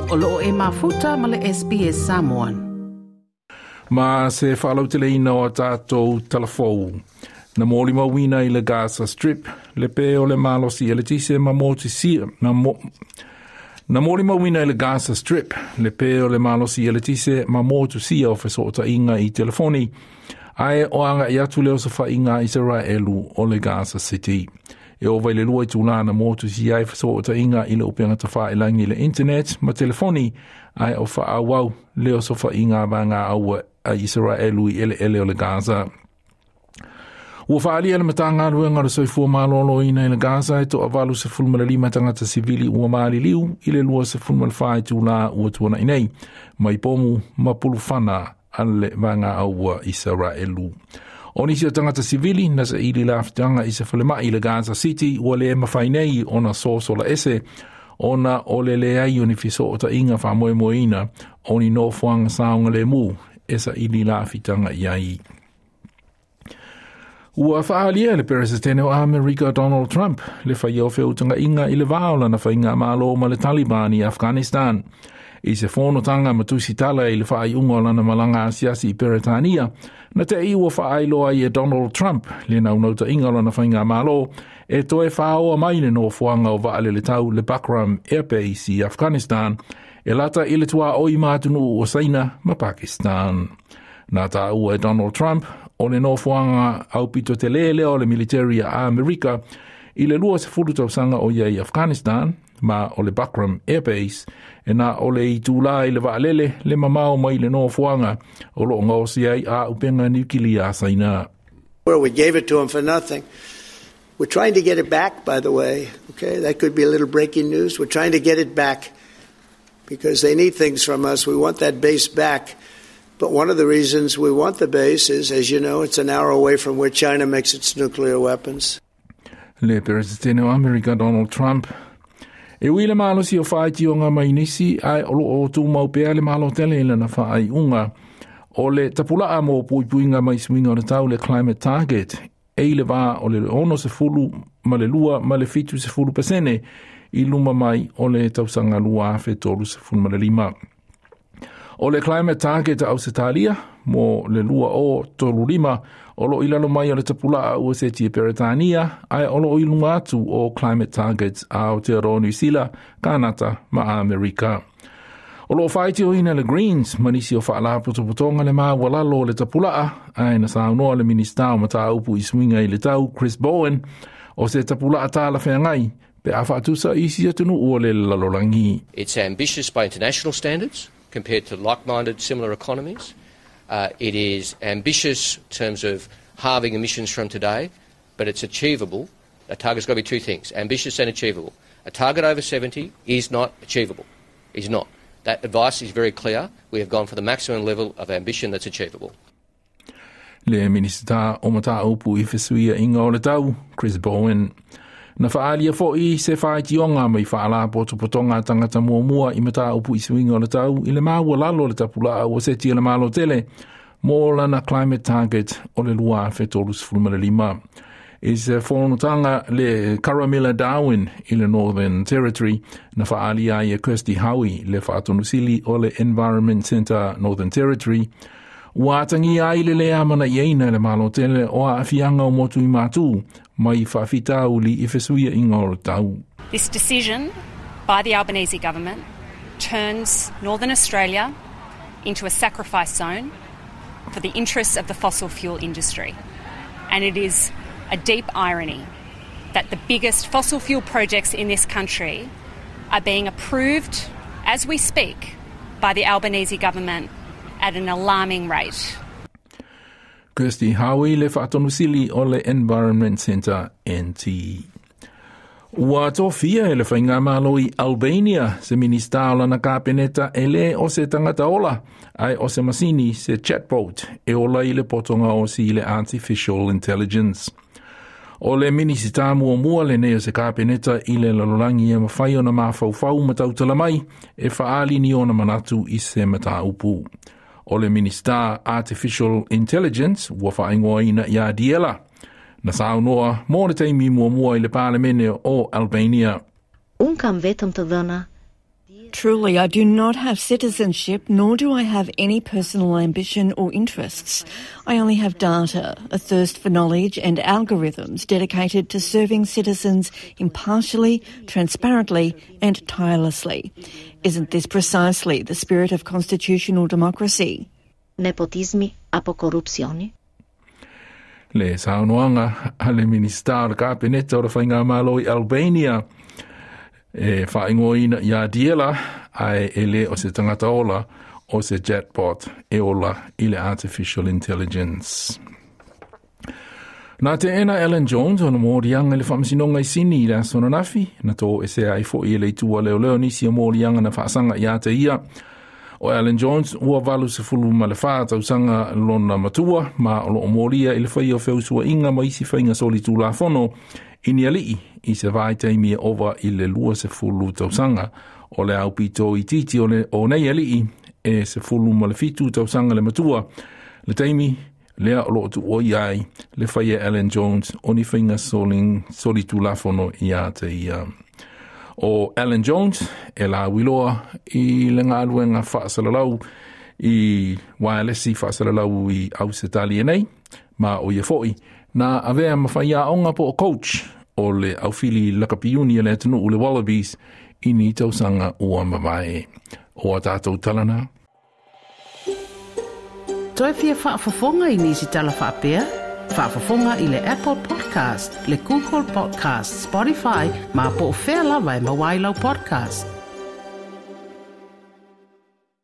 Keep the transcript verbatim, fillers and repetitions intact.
O loo e mafuta ma le S B S Samoan. Ma se faalauteleina o tatou talafou. Na molimauina i le Gaza Strip, le pe o le malosi eletise ma motusia, na mo, Na molimauina i le Gaza Strip, le pe o le malosi eletise ma motusia o fesootaiga i telefoni, ae o agai atu le osofaiga Isaraelu o le Gaza City. E ova i le lua itulā na motusia ai fesootaiga i le upega tafailagi i le internet ma telefoni, ae o faaauau le osofaiga vaega aua a Isaraelu i eleele o le Gaza. Ua faaalia le Matagaluega o le Soifua Maloloina i le Gaza e toavalu sefulu ma le lima tagata sivili ua maliliu i le lua sefulu ma le fa itulā ua tuanai nei, mai pomu ma pulufana a le vaega aua Isaraelu. O nisi o tagata sivili na saili lafutaga i se falemai i le Gaza City ua le mafai nei ona sosola ese ona o le leai o ni fesootaiga faamoemoeina o ni nofoaga saogalemu e saili lafutaga i ai. Ua faaalia le Peresetene o Amerika Donald Trump le faia o feutagaiga i le va o lana faigamalo ma le Taliban i Afghanistan. I se fonotaga ma tusitala i le faaiuga o lana malaga asiasi i Peretania, na te i ua faailoa ai e Donald Trump le naunautaiga o lana faigamalo e toe faaoa mai le nofoaga o vaalele tau le Bagram Air Base i Afghanistan e lata i le tuaoi ma atunuu o Saina ma Pakistan. Na taua e Donald Trump o le nofoaga aupito tele lea o le military a Amerika i le lua sefulu tausaga o ia i Afghanistan ma o le Bagram Air Base e na o le itulā i le vaalele le mamao mai le nofoaga o loo gaosia ai auupega niukilia a Saina. Well, we gave it to them for nothing. We're trying to get it back, by the way. Okay, that could be a little breaking news. We're trying to get it back because they need things from us. We want that base back. But one of the reasons we want the base is, as you know, it's an hour away from where China makes its nuclear weapons. Le Peresetene o Amerika Donald Trump. E ui le malosi o faitioga mai nisi ae o loo tumau pea le Malo tele i lana faaiuga o le tapulaa mo puipuiga mai suiga o le tau, le climate target, e i le vā o le ono sefulu ma le lua ma le fitu sefulu pasene i luma mai o le tausaga lua afe tolu sefulu ma le lima. O le climate target a Ausetalia mo le lua o tolu lima o loo i lalo mai o le tapulaa ua seti e Peretania, ae o loo i luga atu o climate targets a Aotearoa Niu Sila, Kanata ma Amerika. O loo faitioina le Greens ma nisi o faalapotopotoga le maualalo o le tapulaa, ae na saunoa le Minista o Mataupu i Suiga i le Tau Chris Bowen o se tapulaa talafeagai pe a faatusa i isi atunuu o le lalolagi. It's ambitious by international standards compared to like-minded similar economies. Uh, it is ambitious in terms of halving emissions from today, but it's achievable. A target's got to be two things, ambitious and achievable. A target over seventy is not achievable. Is not. That advice is very clear. We have gone for the maximum level of ambition that's achievable. Le Minista o Mataupu i Fesuiaiga o le Tau, Chris Bowen. Na faaalia foi se faitioga mai faalapotopotoga tagata muamua i mataupu i suiga o le tau i le maualalo o le tapulaa ua seti e le Malo tele mo lana climate target o le lua afe tolu sefulu ma le lima. I se fonotaga le Garramilla Darwin i le Northern Territory, na faaalia ai e Kirsty Howie, le faatonusili o le Environment Centre Northern Territory, ua atagia ai le le amanaiaina e le Malo tele o aafiaga o motu i Matū mai faafitauli i fesuiaiga o le tau. This decision by the Albanese government turns Northern Australia into a sacrifice zone for the interests of the fossil fuel industry. And it is a deep irony that the biggest fossil fuel projects in this country are being approved as we speak by the Albanese government at an alarming rate. Kirsty Howie, le faatonusili o le Environment Centre N T. Ua tofia e le Faigamalo i Albania se minista o lana kapeneta e le o se tagata ola, ae o se masini, se chatbot, e ola i le poto gaosi i le artificial intelligence. O le minisita muamua lenei o se kapeneta i le lalolagi e mafai ona mafaufau ma tautala mai e faaali ni ona manatu i se mataupu. O le minista artificial intelligence ua faaigoaina ia Diella. Na saunoa mo le taimi muamua i le palemene o Albania. Unë kam vetëm të dhëna. Truly, I do not have citizenship, nor do I have any personal ambition or interests. I only have data, a thirst for knowledge and algorithms dedicated to serving citizens impartially, transparently and tirelessly. Isn't this precisely the spirit of constitutional democracy? Nepotizmi apo korrupsioni? Le saunoaga a le Minista o le Kapeneta o le Faigamalo i Albania e faaigoaina ia Diella ae e le o se tagata ola o se chatbot e ola i le artificial intelligence. Na teena Alan Jones ona moliaga i le faamasinoga i Sini i le aso ananafi, na toesea ai foʻi e le itu a leoleo nisi o moliaga na faasaga ia te ia. O Alan Jones ua valu sefulu ma le fa tausaga lona matua ma o loo molia i le faia o feusuaiga ma isi faiga solitulafono i ni alii i se vaitaimi e ova i le lua sefulu tausaga. O le aupito itiiti o, le, o nei alii e sefulu ma le fitu tausaga le matua. Le taimi lea o loo tuuaia ai le faia Alan Jones o ni faiga solitulafono ia te ia. O Alan Jones e lauiloa i le galuega faasalalau i wireless faasalalau i Ausetalia nei, ma o ia foʻi na avea ma faiaoga po o coach o le aufili lakapiuni a le atunuu le Wallabies i ni tausaga ua mavae. O a tatou talana. Toe fia faafofoga i nisi tala faapea? Faafofoga i le Apple Podcast, le Google Podcast, Spotify, ma po o fea lava e maua ai lau podcast.